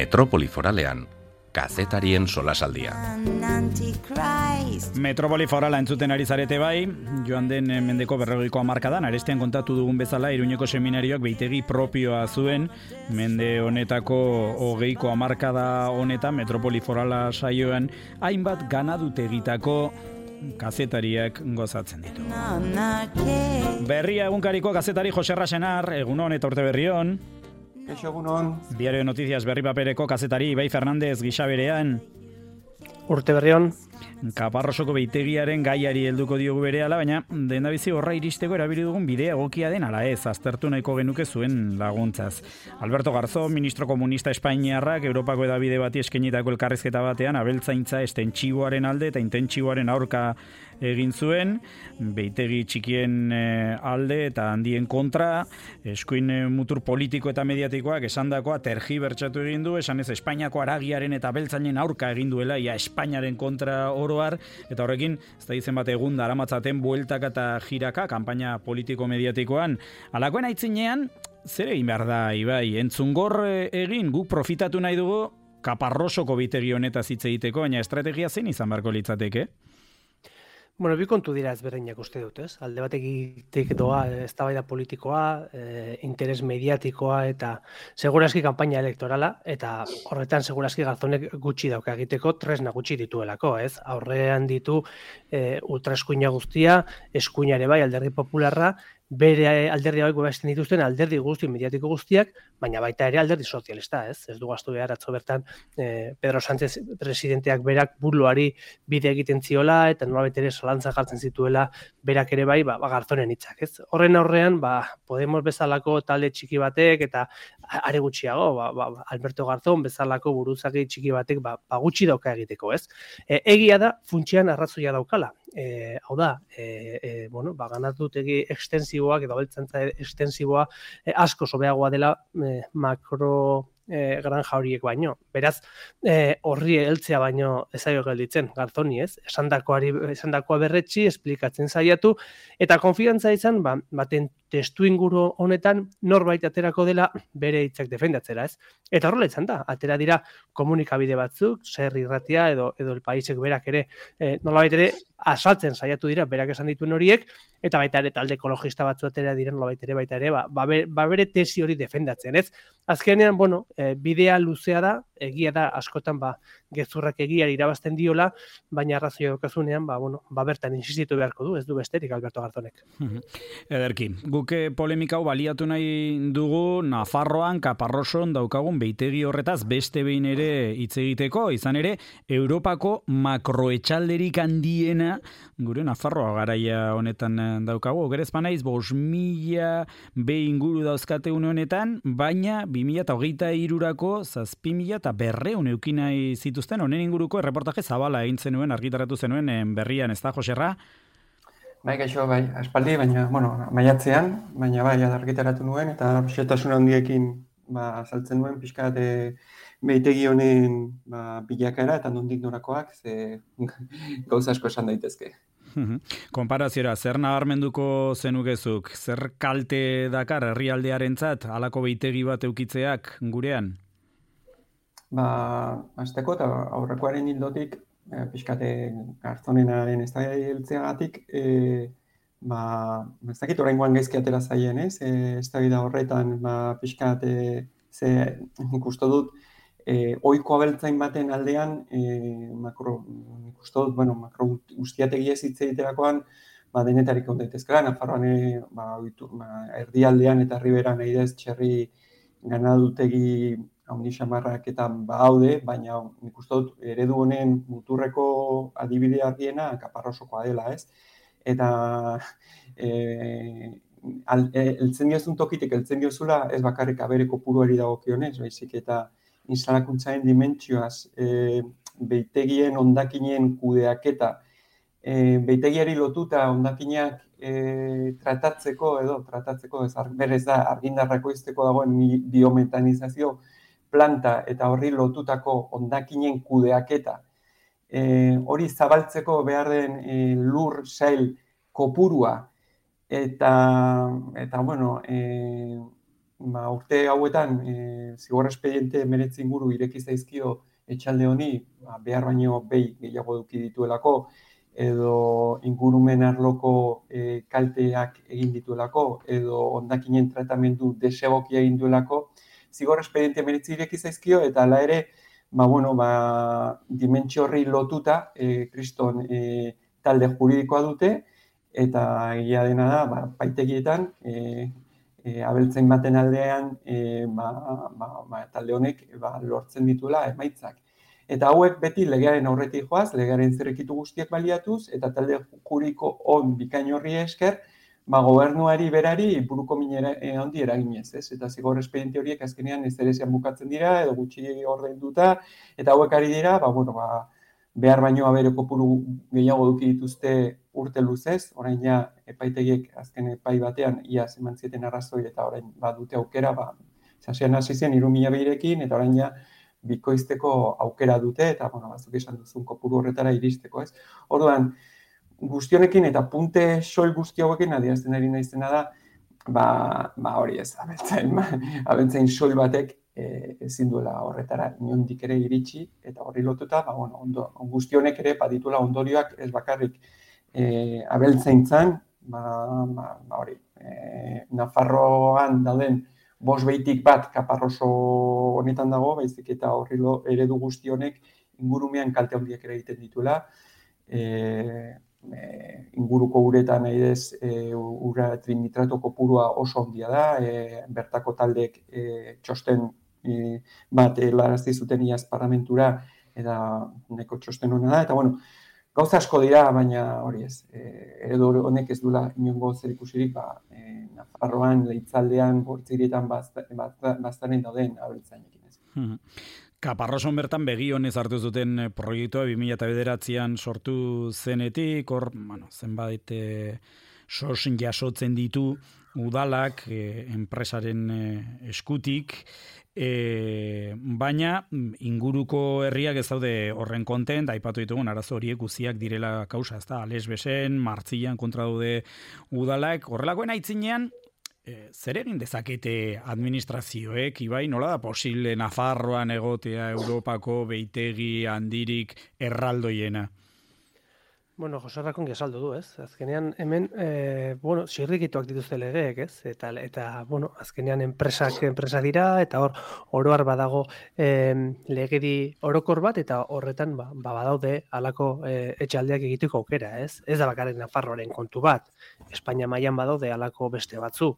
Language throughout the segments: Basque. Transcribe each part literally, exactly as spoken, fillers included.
Metropoli Foralean, kazetarien solasaldia. Metropoli Forala entzuten ari zarete bai, joan den mendeko berrogeiko hamarkadan, arestian kontatu dugun bezala, Iruñeko seminarioak behitegi propioa zuen, mende honetako hogeiko hamarkada honetan, Metropoli Forala saioan, hainbat ganadutegitako kazetariak gozatzen ditu. Berria egunkariko kazetari Jose Rasenar, egunon eta urte berrion. Eixo egunon. Diario de Noticias berri papereko kazetari Ibai Fernandez gisa berean. Urte berrion. Kaparrosoko behitegiaren gaiari helduko diogu berehala, baina dendabizi horra iristeko erabili dugun bidea egokia den ala ez, aztertu nahiko genuke zuen laguntzaz. Alberto Garzón, ministro komunista espainiarrak, Europako edabide bati eskenitako elkarrizketa batean, abeltzaintza estentxiboaren alde eta intentsiboaren aurka egin zuen, behitegi txikien alde eta handien kontra, eskuin mutur politiko eta mediatikoak esandakoa tergibertsatu egin du, esan ez Espainiako aragiaren eta abeltzainen aurka egin duela, ia Espainiaren kontra oroar, eta horrekin, ez da izen bat egun daramatzaten bueltaka eta jiraka, kanpaina politiko-mediatikoan. Alakoen aitzinean, zer egin behar da, Ibai? Entzungor egin, guk profitatu nahi dugu Kaparrosoko behitegi honetaz hitz egiteko, baina estrategia zein izan beharko litzateke? Bueno, bi kontu dira ezberdinak uste dut, ez? Alde batetik doa eztabaida politikoa, e, interes mediatikoa eta segurazki kanpaina elektorala, eta horretan segurazki Garzonek gutxi dauka egiteko, tresna gutxi dituelako, ez? Aurrean ditu e, ultraeskuina guztia, eskuinare bai, Alderdi Popularra, bere alderdi hauek babesten dituzten alderdi guzti mediatiko guztiak, baina baita ere alderdi sozialista, ez? Ez dugu astu behar atzo bertan eh, Pedro Sánchez presidenteak berak buruari bide egiten ziola eta nolabait ere zalantza jartzen zituela berak ere bai, ba, ba Garzonen hitzak, ez? Horren aurrean, ba Podemos bezalako talde txiki batek eta are gutxiago, ba, ba Alberto Garzón bezalako buruzagi txiki batek ba, ba gutxi dauka egiteko, ez? E, egia da funtsean arrazoia daukala. E, hau da, e, e, bueno, ba, ganatutegi ekstensiboak edo beltzantza ekstensiboa e, asko sobeagoa dela e, makro e, granja horiek baino. Beraz, e, horri heltzea baino ezaio gelditzen Garzoni, ez? Esandakoari esandakoa berretsi, esplikatzen saiatu eta konfiantza izan, ba, baten testu inguru honetan norbait aterako dela bere hitzak defendatzera, ez? Eta horrela izan da, atera dira komunikabide batzuk, Ser Irratia edo edo El Paisek berak ere e, nolabait ere asaltzen saiatu dira berak esan dituen horiek, eta baita ere talde ekologista batzu atera diren nolabait ere baita ere ba, ba, ba bere tesi hori defendatzen, ez? Azkenean, bueno, e, bidea luzea da, egia da askotan ba gezurrak egiari irabazten diola, baina arrazoia daukazunean, ba bueno, ba bertan insistitu beharko du, ez du besterik Alberto Garzonek. Ederki, guk polemika hau baliatu nahi dugu Nafarroan, Kaparroson daukagun behitegi horretaz beste behin ere hitz egiteko, izan ere Europako makroetxalderik handiena gure Nafarroa garaia honetan daukagu. Okerez banaiz, bost mila behi inguru dauzkate une honetan, baina bi mila hogeita hirurako zazpi mila eta berreun eukinai zituzten, honen inguruko erreportaje zabala egin zenuen, argitaratu zenuen berrian, ez da, Joserra? Bai, gaixo, bai, aspaldi, baina, bueno, maiatzean, baina bai, argitaratu nuen, eta xetasun handiekin ba, azaltzen nuen, pixkat behitegi honen ba, bilakaera, eta nondik norakoak, ze gauza asko esan daitezke. Konparaziora, zer nabarmenduko zenukezuk, zer kalte dakar herrialdearentzat halako behitegi bat eukitzeak gurean? Ba, azteko eta aurrekoaren hildotik, e, pixkate Garzonenaren ez da heltzeagatik, e, ba, ez dakit oraingoan gaizki atera zaien, ez? E, ez da horretan, ba, pixkate, ze ikustu dut, e, oiko abeltzain baten aldean, e, makro, ikustu dut, bueno, makro guztiategi ez hitz egiterakoan, ba, denetarik on daitezkela, Nafarroan, e, ba, ba, erdialdean eta riberan nahi dez txerri ganadutegi haundi xamarrak eta haude, baina nik uste dut eredu honen muturreko adibide argiena Kaparrosokoa dela, ez? Eta e, al, e, eltzen diozun tokitik, eltzen diozula ez bakarrik abere kopuruari dagokionez, baizik eta instalakuntzaren dimentsioaz, e, behaitegien hondakinen kudeaketa, e, behitegiari lotuta hondakinak e, tratatzeko edo tratatzeko, ez berez da argindarrako izteko dagoen biometanizazio planta eta horri lotutako hondakinen kudeaketa, e, hori zabaltzeko behar den e, lur sail kopurua eta, eta bueno, e, ba, urte hauetan e, zigor espediente meretzi inguru ireki zaizkio etxalde honi, ba, behar baino behi gehiago eduki dituelako, edo ingurumen arloko e, kalteak egin dituelako, edo hondakinen tratamendu desegokia egin duelako, zigor espediente meretzi ireki zaizkio, eta hala ere, ba, bueno, ba, dimentsio horri lotuta, e, kriston e, talde juridikoa dute, eta egia dena da, ba, paitegietan, e, e, abeltzain baten aldean, e, ba, ba, ba, talde honek ba, lortzen dituela emaitzak. Eta hauek beti legearen aurretik joaz, legearen zirrikitu guztiak baliatuz, eta talde juridiko on bikain horri esker, ba, gobernuari berari buruko minera e, handi eraginez, ez? Eta zigor espediente horiek azkenean ez ere bukatzen dira, edo gutxi ordainduta, eta hauek ari dira, ba, bueno, ba, behar baino abere kopuru gehiago duki dituzte urte luzez, orain ja epaitegiek azken epai batean ia eman zieten arrazoi eta orain badute aukera, ba, zasean hasi zen hiru mila behirekin, eta orain ja bikoizteko aukera dute, eta, bueno, bazuk esan duzun kopuru horretara iristeko, ez? Orduan, guztionekin eta punte soil guzti hauekin adierazten ari naizena da, ba, ba hori ez, abeltzain, abeltzain soil batek e, ezin duela horretara inondik ere iritsi, eta horri lotuta, ba, bueno, ondo, guztionek ere badituela ondorioak ez bakarrik e, abeltzaintzan, ba, ba, ba hori, e, Nafarroan dauden bost behitik bat kaparroso honetan dago, baizik eta horri eredu guzti honek ingurumean kalte handiak ere egiten dituela. E, e, inguruko uretan nahi dez, e, ura trinitrato kopurua oso handia da, e, bertako taldek e, txosten e, bat helarazti zuten iaz parlamentura, eta neko txosten hona da, eta bueno, gauza asko dira, baina hori ez, e, eredu honek ez duela inongo zer ikusirik, ba, e, Nafarroan, Leitzaldean, Bortzirietan baztaren dauden abeltzainekin ez. Hmm. Kaparroson bertan begi honez hartu zuten proiektua bi mila bederatzian sortu zenetik, hor, bueno, zenbait e, sosin jasotzen ditu udalak e, enpresaren e, eskutik, E, baina inguruko herriak ez daude horren kontent, aipatu ditugun arazo horiek guziak direla kausa, ezta? Ales besen, Martzilan kontra daude udalak, horrelakoen aitzinean, e, zer egin dezakete administrazioek, Ibai, nola da posible Nafarroan egotea Europako beitegi handirik erraldoiena? Bueno, Jose Rakon gesaldu du, ez? Azkenean hemen, e, bueno, zirrikituak dituzte legeek, ez? Eta, eta bueno, azkenean enpresak enpresa dira, eta hor, oroar badago e, legedi orokor bat, eta horretan ba, ba badaude halako e, etxaldeak egiteko aukera, ez? Ez da bakarrik Nafarroaren kontu bat, Espainia mailan badaude halako beste batzu.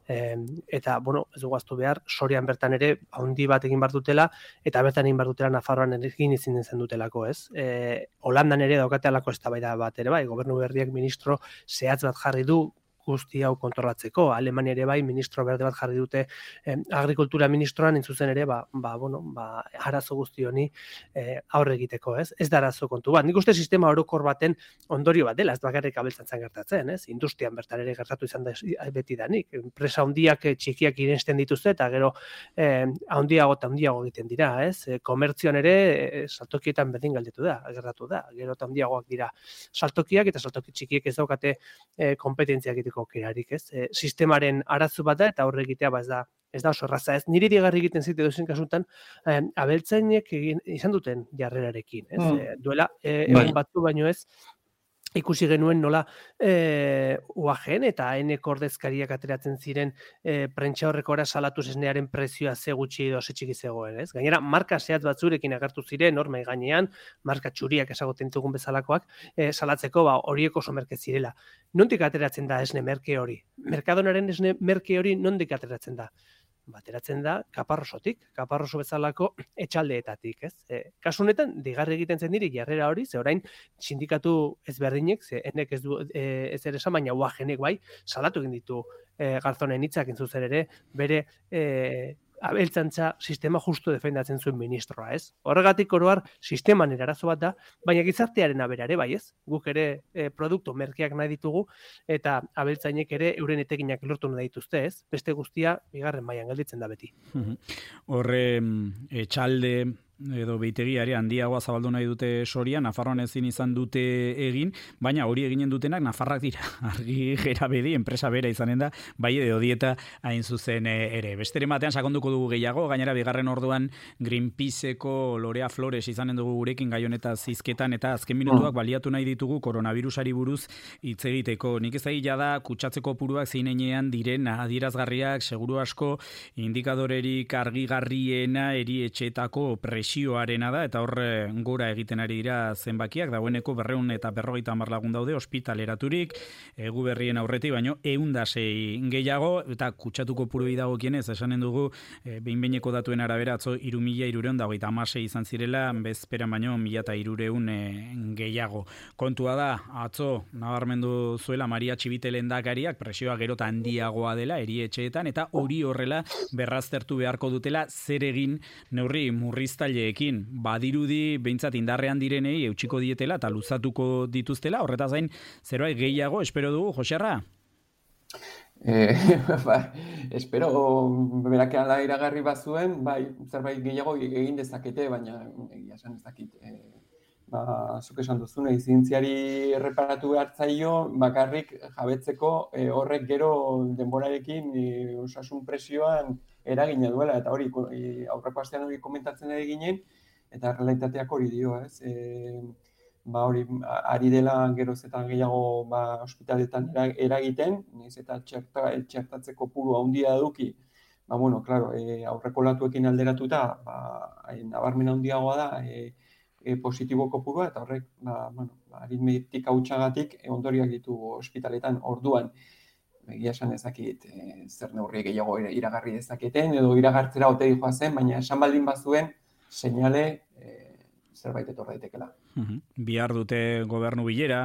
E, eta, bueno, ez dugu ahaztu behar, Sorian bertan ere handi bat egin bar dutela, eta bertan egin bar dutela Nafarroan egin izin zen dutelako, ez? E, Holandan ere daukate halako eztabaida bat ere bai, gobernu berriak ministro zehatz bat jarri du guzti hau kontrolatzeko. Alemania ere bai, ministro berde bat jarri dute eh, agrikultura ministroan, entzuzen ere, ba, ba, bueno, ba, arazo guzti honi eh, aurre egiteko, ez? Ez da arazo kontu bat. Nik uste sistema orokor baten ondorio bat dela, ez bakarrik abeltzantzan gertatzen, ez? Industrian bertan ere gertatu izan da beti danik. Enpresa handiak txikiak irensten dituzte, eta gero eh, handiago eta handiago egiten dira, ez? E, komertzioan ere e, saltokietan berdin galdetu da, gertatu da. Gero eta handiagoak dira saltokiak, eta saltoki txikiek ez daukate e, kompetentziak egiteko aukerarik, ez? E, sistemaren arazo bat da, eta horre egitea ba ez da ez da oso erraza, ez? Niri digarri egiten zite dozen kasutan, eh, abeltzainek egin izan duten jarrerarekin, ez? Mm. E, duela e, egun batzu baino ez, ikusi genuen nola e, U A G eta A N-ko ordezkariak ateratzen ziren e, prentsa horrekora salatu esnearen prezioa ze gutxi edo ze txiki zegoen, ez? Gainera, marka zehatz batzurekin agertu ziren, hor mai gainean, marka txuriak ezagoten ditugun bezalakoak, e, salatzeko ba horiek oso merke zirela. Nondik ateratzen da esne merke hori? Merkadonaren esne merke hori nondik ateratzen da? Bateratzen da Kaparrosotik, Kaparroso bezalako etxaldeetatik, ez? E, kasu honetan, digarri egiten zen diri jarrera hori, ze orain sindikatu ezberdinek, ze enek ez du e, ez ere esan, baina U A G-nek bai, salatu egin ditu e, Garzonen hitzak entzuzen ere, bere e, abeltzantza sistema justu defendatzen zuen ministroa, ez? Horregatik oroar sisteman erazo bat da, baina gizartearen aberare bai, ez? Guk ere e, produktu merkeak nahi ditugu, eta abeltzainek ere euren etekinak lortu nahi dituzte, ez? Beste guztia bigarren mailan gelditzen da beti. Horre etxalde edo behitegiari handiagoa zabaldu nahi dute Soria, Nafarroan ezin izan dute egin, baina hori eginen dutenak Nafarrak dira. Argi gera bedi, enpresa bera izanen da, bai edo dieta hain zuzen ere. Besteren batean sakonduko dugu gehiago, gainera bigarren orduan Greenpeaceko Lorea Flores izanen dugu gurekin gai honetaz hizketan, eta azken minutuak baliatu nahi ditugu koronavirusari buruz hitz egiteko. Nik ezagia da kutsatzeko puruak zeinenean diren adierazgarriak, seguru asko indikadorerik argigarriena erietxeetako presioarena da, eta hor gora egiten ari dira zenbakiak, dagoeneko berreun eta berrogeita hamar lagun daude ospitaleraturik, egu berrien aurretik, baino ehundasei gehiago, eta kutsatuko puruei dagokienez, esanen dugu, e, behin-behineko datuen arabera, atzo hiru mila hirurehun eta hogeita hamasei izan zirela, bezperan baino mila eta hirurehun e, gehiago. Kontua da, atzo, nabarmendu zuela Maria Txibite lehendakariak, presioa gerota handiagoa dela, erietxeetan, eta hori horrela berraztertu beharko dutela zer egin neurri murriztaileekin. Badirudi behintzat indarrean direnei eutxiko dietela eta luzatuko dituztela, horretaz gain zerbait gehiago espero dugu, Joserra? Eh, ba, espero berak ala iragarri bazuen, bai, zerbait gehiago egin dezakete, baina egia esan ez dakit. Eh, ba, zuk esan duzune, izintziari erreparatu hartzaio, bakarrik jabetzeko eh, horrek gero denborarekin eh, osasun presioan eragina duela, eta hori eh, aurreko astean hori komentatzen ari ginen, eta realitateak hori dio, ez? E, ba hori, ari dela geroz eta gehiago ba, ospitaletan eragiten, niz eta txerta, txertatzeko puru handia duki, ba, bueno, claro, e, aurreko latuekin alderatuta, ba, nabarmen handiagoa da, e, e, positiboko purua, eta horrek, ba, bueno, ba, aritmetika hutsagatik e, ondoriak ditu ospitaletan orduan. Egia esan ezakit e, zer neurri gehiago iragarri dezaketen, edo iragartzera ote dijoa zen, baina esan baldin bazuen, seinale e, zerbait etor daitekela. Uhum. Bihar dute gobernu bilera,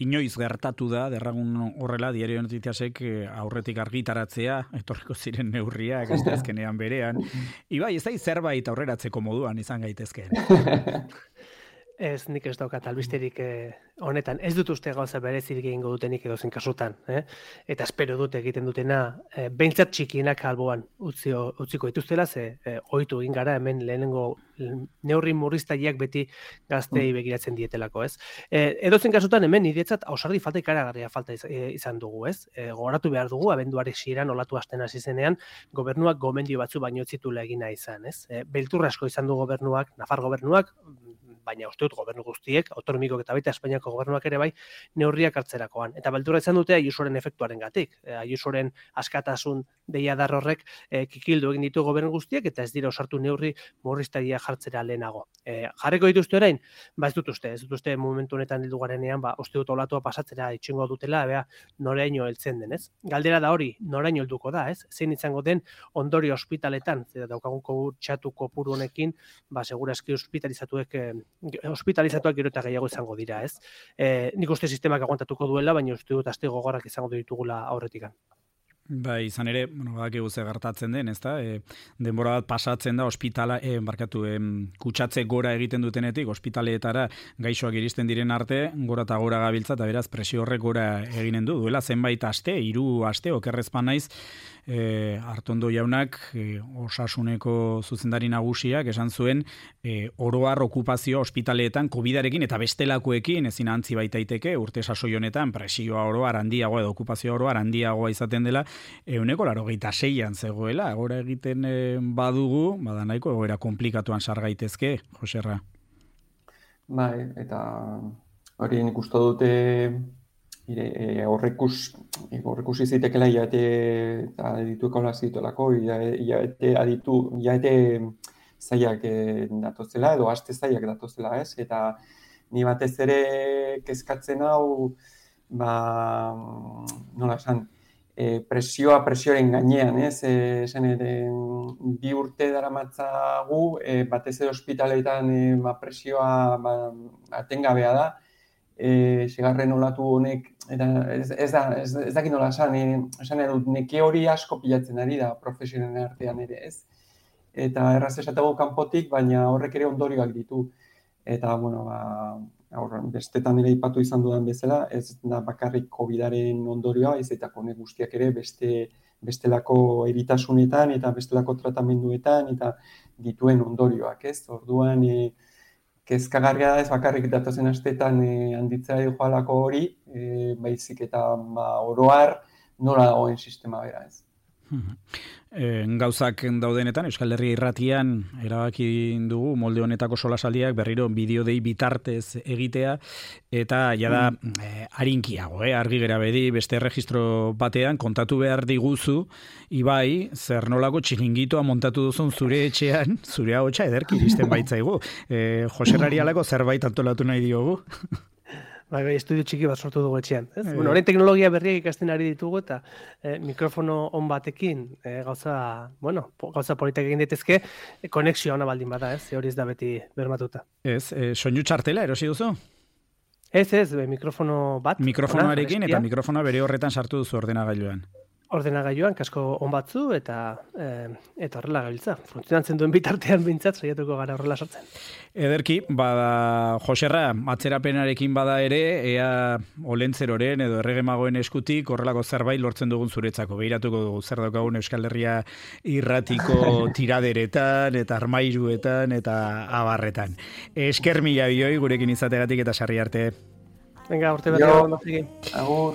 inoiz gertatu da, derragun horrela, Diario Noticiasek aurretik argitaratzea, etorriko ziren neurriak, ez azkenean berean. Ibai, ez da zerbait aurreratzeko moduan izan gaitezkeen. Ez, nik ez daukat albisterik eh, honetan. Ez dut uste gauza berezirik egingo dutenik edo zen kasutan. Eh? Eta espero dut egiten dutena, eh, behintzat txikienak alboan utzio, utziko dituztela, ze eh, ohitu egin gara hemen lehenengo neurri murriztaileak beti gaztei begiratzen dietelako, ez? Eh, edo zen kasutan hemen niretzat ausardi falta ikaragarria falta izan dugu, ez? Eh, gogoratu behar dugu, abenduari ziren olatu hasten hasi zenean, gobernuak gomendio batzu baino ez zitula egina izan, ez? Eh, beltur asko izan du gobernuak, Nafar gobernuak, baina uste dut gobernu guztiek, autonomikok eta baita Espainiako gobernuak ere bai, neurriak hartzerakoan. Eta beldurra izan dute Ayusoren efektuaren gatik. Ayusoren askatasun deiadar horrek e, kikildu egin ditu gobernu guztiek, eta ez dira osartu neurri murriztailea jartzera lehenago. E, jarriko dituzte orain? Ba ez dut uste, ez dut uste momentu honetan heldu garenean, ba, uste dut olatua pasatzera itxingo dutela, bea, noraino heltzen den, ez? Galdera da hori, noraino helduko da, ez? Zein izango den ondori ospitaletan, daukagunko txatu kopuru honekin, ba, segurazki ospitalizatuek e, hospitalizatuak gero eta gehiago izango dira, ez? E, nik uste sistemak aguantatuko duela, baina uste dut aste gogorrak izango ditugula aurretikan. Bai, izan ere, bueno, badakigu ze gertatzen den, ezta? E, denbora bat pasatzen da ospitala, e, barkatu, e, kutsatze gora egiten dutenetik, ospitaleetara gaixoak iristen diren arte, gora eta gora gabiltza, eta beraz presio horrek gora eginen du. Duela zenbait aste, hiru aste, okerrezpan naiz, e, Artondo jaunak, e, osasuneko zuzendari nagusiak, esan zuen, e, oroar okupazioa ospitaleetan covidarekin eta bestelakoekin ezin antzi baitaiteke, urte sasoi honetan presioa oroar handiagoa edo okupazioa oroar handiagoa izaten dela, euneko laurogeita seian zegoela, gora egiten e, badugu, bada nahiko egoera komplikatuan sar gaitezke, Joserra. Bai, eta hori nik uste dute ire horrekus horrekus izitekela iaete eta adituek hola zituelako, iaete aditu, iaete zaiak datozela edo aste zaiak datozela, ez? Eta ni batez ere kezkatzen hau, ba, nola esan, E, presioa presioaren gainean, ez? E, esan ere, bi urte daramatzagu, e, batez ere ospitaletan e, ba, presioa ba, atengabea da. E, segarren olatu honek, eta ez, ez da, ez, ez dakit nola esan, e, esan edut, neke hori asko pilatzen ari da profesionen artean ere, ez? Eta erraz esatego kanpotik, baina horrek ere ondorioak ditu. Eta, bueno, ba, aurran, bestetan ere ipatu izan dudan bezala, ez da bakarrik covidaren ondorioa, ez eta honek guztiak ere beste bestelako eritasunetan eta bestelako tratamenduetan eta dituen ondorioak, ez? Orduan, e, kezkagarria da ez bakarrik datozen asteetan e, handitzea joalako hori, e, baizik eta ba, oroar nola dagoen sistema bera, ez? E, gauzak daudenetan, Euskal Herria Irratian erabaki dugu molde honetako solasaldiak berriro bideo dei bitartez egitea, eta jada mm. e, arinkiago, eh? Argi gera bedi, beste erregistro batean kontatu behar diguzu, Ibai, zer nolako txilingitoa montatu duzun zure etxean, zure ahotsa ederki iristen baitzaigu. E, Joserrari alako zerbait antolatu nahi diogu. Bai, bai, estudio txiki bat sortu dugu etxean. Ez? E... Bueno, orain teknologia berriak ikasten ari ditugu eta e, mikrofono on batekin e, gauza, bueno, gauza politak egin daitezke, e, konexioa ona baldin bada, ez? Hori ez da beti bermatuta. Ez, e, soinu txartela erosi duzu? Ez, ez, be, mikrofono bat. Mikrofonoarekin eta mikrofona bere horretan sartu duzu ordenagailuan. Ordenagailuan, kasko on batzu eta e, eta horrela gabiltza. Funtzionatzen duen bitartean bintzat, saiatuko gara horrela sartzen. Ederki, bada Joserra, atzerapenarekin bada ere, ea olentzeroren edo erregemagoen eskutik horrelako zerbait lortzen dugun zuretzako. Behiratuko dugu zer daukagun Euskal Herria Irratiko tiraderetan eta armairuetan eta abarretan. Esker mila bioi gurekin izategatik eta sarri arte. Venga, urte bat egon. Agur.